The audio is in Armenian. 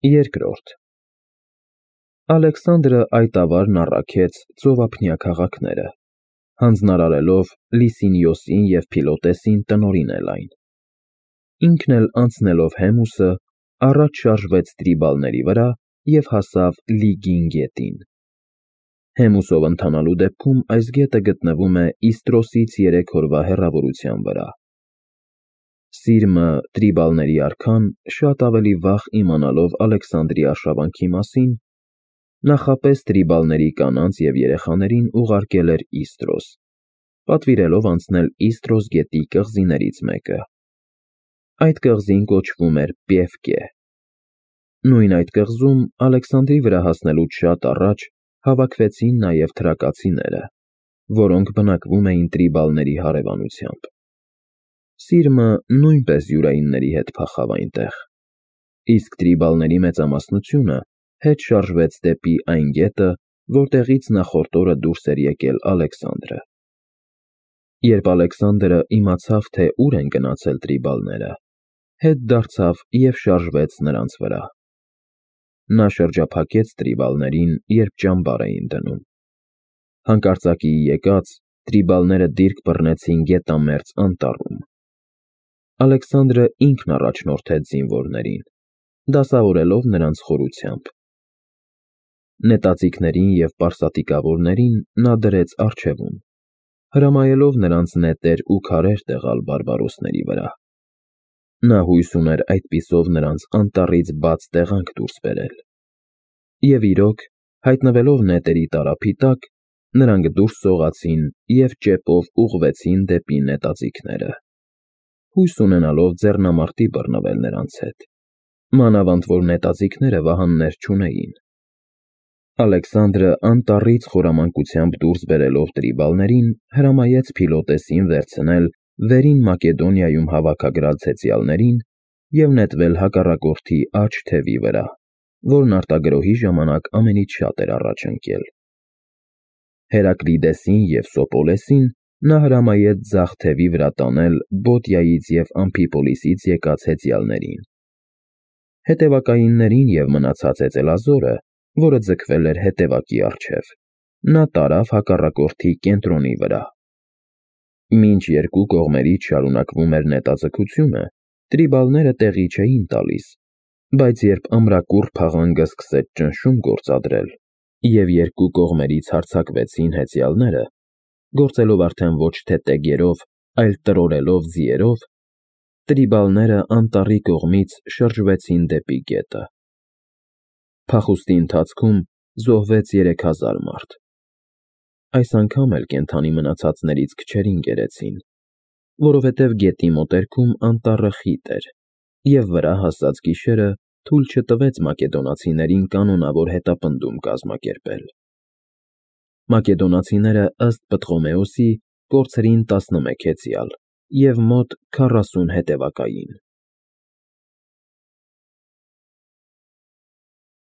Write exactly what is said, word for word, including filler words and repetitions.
Երկրորդ Ալեքսանդրը այդ ավարն առաքեց ծովափնյա քաղաքները, հանձնարարելով Լիսինիոսին և Փիլոտեսին տնօրինել այն. ինքն էլ անցնելով Հեմուսը, առաջ շարժվեց Տրիբալների վրա և հասավ Լիգին գետին։ Հեմուսով ընթանալու դեպքում այս գետը գտնվում է Իստրոսից երեք օրվա հեռավորության վրա։ Սիրմը, Տրիբալների արքան, շատ ավելի վաղ իմանալով Ալեքսանդրի արշավանքի մասին, նախապես Տրիբալների կանանց և երեխաներին ուղարկել էր Իստրոս, պատվիրելով անցնել Իստրոս գետի կղզիներից մեկը։ Այդ կղզին կոչվում էր Պևկե։ Նույն այդ կղզում Ալեքսանդրի վրա հասնելուց շատ առաջ հավաքվեցին նաև թրակացիները, որոնք բնակվում էին Տրիբալների հարևանությամբ։ Սիրմը նույնպես յուրայինների հետ փախավ այնտեղ, իսկ Տրիբալների մեծամասնությունը հետ շարժվեց դեպի այն գետը, որտեղից նախորդ օրը դուրս էր եկել Ալեքսանդրը։ Երբ Ալեքսանդրը իմացավ, թե ուր են գնացել Տրիբալները, հետ դարձավ և շարժվեց նրանց վրա։ Նա շրջափակեց Տրիբալներին, երբ ճամբար էին դնում։ Հանկարծակիի եկած, Տրիբալները դիրք բռնեցին գետամերձ անտառում։ Ալեքսանդրը ինքն առաջնորդեց զինվորներին, դասավորելով նրանց խորությամբ։ Նետաձիգներին և պարսատիկավորներին նա դրեց առջևում, հրամայելով նրանց նետեր ու քարեր տեղալ բարբարոսների վրա։ Նա հույս ուներ այդպիսով նրանց անտառից բաց տեղանք դուրս բերել։ Եվ իրոք, հայտնվելով նետերի տարափի տակ, նրանք դուրս սողացին և ճեպով ուղղվեցին դեպի նետաձիգները, հույս ունենալով ձեռնամարտի բռնվել նրանց հետ, մանավանդ որ նետաձիգները վահաններ չունեին։ Ալեքսանդրը անտառից խորամանկությամբ դուրս բերելով Տրիբալներին, հրամայեց Փիլոտեսին վերցնել վերին Մակեդոնիայում հավաքագրած հեծյալներին և նետվել հակառակորդի աջ թևի վրա, որն արտագրոհի ժամանակ ամենից շատ էր առաջ ընկել։ Հերակլիդեսին և Սոպոլեսին նա հրամայեց ձախ թևի վրա տանել Բոտիայից և Ամֆիպոլիսից եկած հեծյալներին։ Հետևակայիններին և մնացած հեծելազորը, որը ձգվել էր հետևակի առջև, նա տարավ հակառակորդի կենտրոնի վրա։ Մինչ երկու կողմերից շարունակվում էր նետաձգությունը, Տրիբալները տեղի չէին տալիս, բայց երբ ամրակուռ փաղանգը սկսեց ճնշում գործադրել, և երկու կողմերից հարձակվեցին հեծյալները, գործելով արդեն ոչ թե տեգերով, այլ տրորելով ձիերով, Տրիբալները անտառի կողմից շրջվեցին դեպի գետը։ Փախուստի ընթացքում զոհվեց երեք հազար մարդ։ Այս անգամ էլ կենդանի մնացածներից քչերին կերեցին, որովհետև գետի մոտերքում անտառը խիտ էր, և վրա հասած գիշերը թույլ չտվեց մակեդոնացիներին կանոնավոր հետապնդում կազմակերպել։ Մակեդոնացիները, ըստ Պտղոմեոսի, կորցրին տասնմեկ հեծյալ և մոտ քառասուն հետևակային։